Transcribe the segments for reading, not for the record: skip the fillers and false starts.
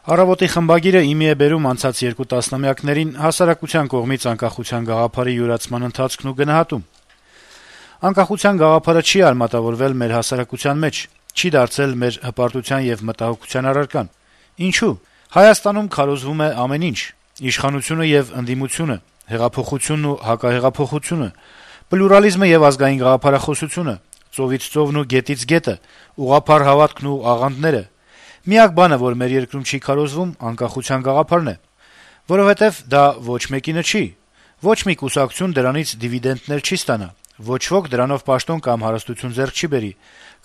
Առավոտի խմբագիրը իմի է բերում անցած 2 տասնամյակներին հասարակության կողմից անկախության գաղափարի յուրացման ընթացքն ու գնահատում. - «Անկախության գաղափարը չի արմատավորվել մեր հասարակության մեջ, չի դարձել մեր հպարտության եւ մտահոգության առարկան: Ինչու՞: Հայաստանում քարոզվում է ամեն ինչ. իշխանությունը եւ ընդդիմությունը, հեղափոխությունն ու հակահեղափոխությունը, պլյուրալիզմը եւ ազգային գաղափարախոսությունը, ծովից ծովն ու գետից գետը, ուղղափառ հավատքն ու աղանդները: Միակ բանը, որ մեր երկրում չի քարոզվում, անկախության գաղափարն է: Որովհետեւ դա ոչ մեկինը չի: Ոչ մի կուսակցություն դրանից դիվիդենտներ չի ստանա, ոչ ոք դրանով պաշտոն կամ հարստություն ձեռք չի բերի,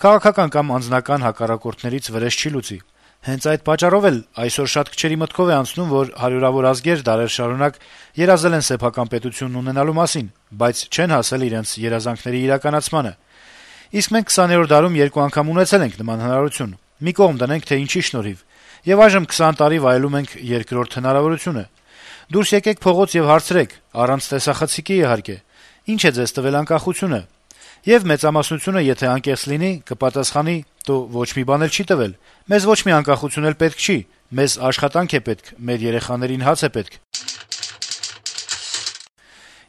քաղաքական կամ անձնական հակառակորդներից վրեժ չի լուծի: Հենց այդ պատճառով էլ այսօր շատ քչերի մտքով է անցնում, որ հարյուրավոր ազգեր դարեր շարունակ երազել են սեփական պետություն ունենալու մասին, բայց չեն հասել իրենց երազանքների իրականացմանը: Իսկ մենք 20-րդ դարում 2 անգամ ունեցել ենք նման հնարավորություն: Մի կողմ դնենք, թե ինչի շնորհիվ: Եվ այժմ 20 տարի վայելում ենք երկրորդ հնարավորությունը: Դուրս եկեք փողոց եւ հարցրեք, առանց տեսախցիկի իհարկե, ինչ է ձեզ տվել անկախությունը: Եվ մեծամասնությունը, եթե անկեղծ լինի, կպատասխանի՝ «Տո ոչ մի բան էլ չի տվել, մեզ ոչ մի անկախություն էլ պետք չի, մեզ աշխատանք է պետք, մեր երեխաներին հաց է պետք»: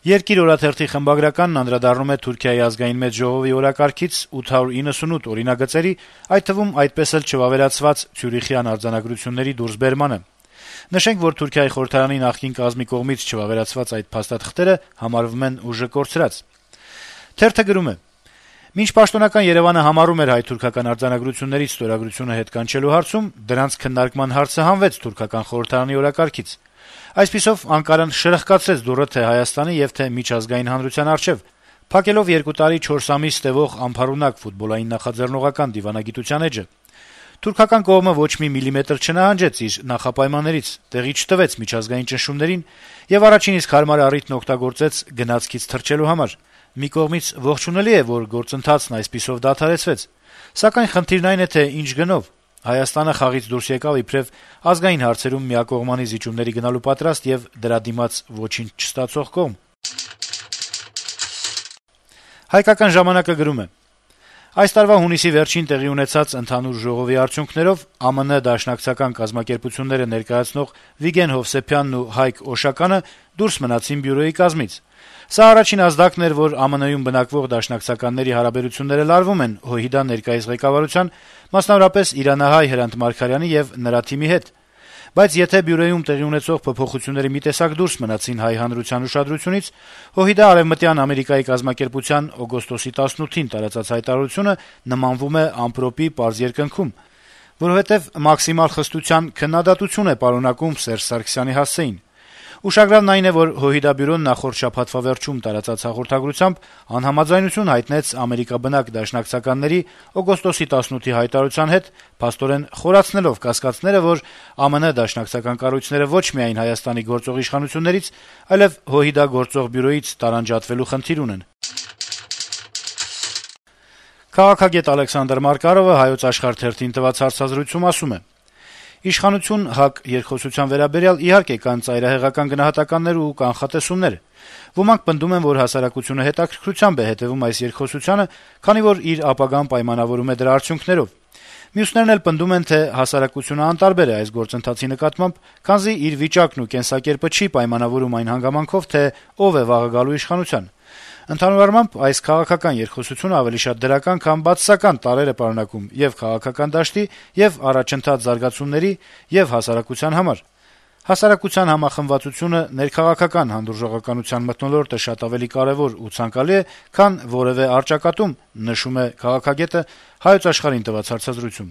«Երկիր» օրաթերթի խմբագրականն անդրադառնում է Թուրքիայի ազգային մեծ ժողովի օրակարգից 898 օրինագծերի, այդ թվում այդպես էլ չվավերացված ցյուրիխյան արձանագրությունների դուրսբերմանը: Նշենք, որ Թուրքիայի խորհրդարանի նախկին կազմի կողմից չվավերացված այդ փաստաթղթերը համարվում են ուժը կորցրած: Թերթը գրում է. - «Մինչ պաշտոնական Երեւանը համառում էր հայ-թուրքական արձանագրություններից ստորագրությունը հետ կանչելու հարցում, դրանց քննարկման հարցը հանվեց թուրքական խորհրդարանի օրակարգից: Այսպիսով Անկարան շրխկացրեց դուռը թե Հայաստանի եւ թե միջազգային հանրության առջեւ, փակելով 2 տարի 4 ամիս տեւող անփառունակ ֆուտբոլային նախաձեռնողական դիվանագիտության էջը: Թուրքական կողմը ոչ մի միլիմետր չնահանջեց իր նախապայմաններից, տեղի չտվեց միջազգային ճնշումներին եւ առաջին իսկ հարմար առիթն օգտագործեց գնացքից թռչելու համար: Մի կողմից ողջունելի է, որ գործընթացն այսպիսով դադարեցվեց, սակայն խնդիրն այն է, թե ինչ գնով: Հայաստանը խաղից դուրս եկավ իբրեւ ազգային հարցերում միակողմանի զիջումների գնալու պատրաստ եւ դրա դիմաց ոչինչ չստացող կողմ»: «Հայկական ժամանակ»-ը գրում է. - «Այս տարվա հունիսի վերջին տեղի ունեցած ընդհանուր ժողովի արդյունքներով ԱՄՆ դաշնակցական կազմակերպությունները ներկայացնող Վիգեն Հովսեփյանն ու Հայկ Օշականը դուրս մնացին բյուրոյի կազմից: Սա առաջին ազդակն էր, որ ԱՄՆ-ում բնակվող դաշնակցականների հարաբերությունները լարվում են ՀՅԴ ներկայիս ղեկավարության, մասնավորապես իրանահայ Հրանտ Մարգարյանի եւ նրա թիմի հետ: Բայց եթե բյուրոյում տեղի ունեցող փոփոխությունները մի տեսակ դուրս մնացին հայ հանրության ուշադրությունից, ՀՅԴ Արեւմտյան Ամերիկայի կազմակերպության օգոստոսի 18-ին տարածած հայտարարությունը նմանվում է ամպրոպի պարզ երկնքում, որովհետեւ մաքսիմալ խստության քննադատություն է պարունակում Սերժ Սարգսյանի հասցեին: Ուշագրավն այն է, որ ՀՅԴ բյուրոն նախորդ շաբաթվա վերջում տարածած հաղորդագրությամբ անհամաձայնություն հայտնեց ամերիկաբնակ դաշնակցականների օգոստոսի 18-ի հայտարարության հետ, փաստորեն խորացնելով կասկածները, որ ԱՄՆ դաշնակցական կառույցները ոչ միայն Հայաստանի գործող իշխանություններից, այլեւ ՀՅԴ գործող բյուրոյից տարանջատվելու խնդիր ունեն»: Քաղաքագետ Ալեքսանդր Մարկարովը «Հայոց Աշխարհ» թերթին տված հարցազրույցում ասում է. - «Իշխանություն - ՀԱԿ երկխոսության վերաբերյալ, իհարկե, կան ծայրահեղական գնահատականներ ու կանխատեսումներ: Ոմանք պնդում են, որ հասարակությունը հետաքրքրությամբ է հետեւում այս երկխոսությանը, քանի որ իր ապագան պայմանավորում է դրա արդյունքներով: Մյուսներն էլ պնդում են, թե հասարակությունը անտարբեր է այս գործընթացի նկատմամբ, քանզի իր վիճակն ու կենսակերպը չի պայմանավորում այն հանգամանքով, թե ով է վաղը գալու իշխանության: Ընդհանուր առմամբ, այս քաղաքական երկխոսությունը ավելի շատ դրական, քան բացասական տարրեր է պարունակում ե'ւ քաղաքական դաշտի, ե'ւ առաջընթաց զարգացումների, ե'ւ հասարակության համար: Հասարակության համախմբվածությունը, ներքաղաքական հանդուրժողականության մթնոլորտը շատ ավելի կարեւոր ու ցանկալի է, քան որեւէ առճակատում», - նշում է քաղաքագետը «Հայոց Աշխարհ»-ին տված հարցազրույցում: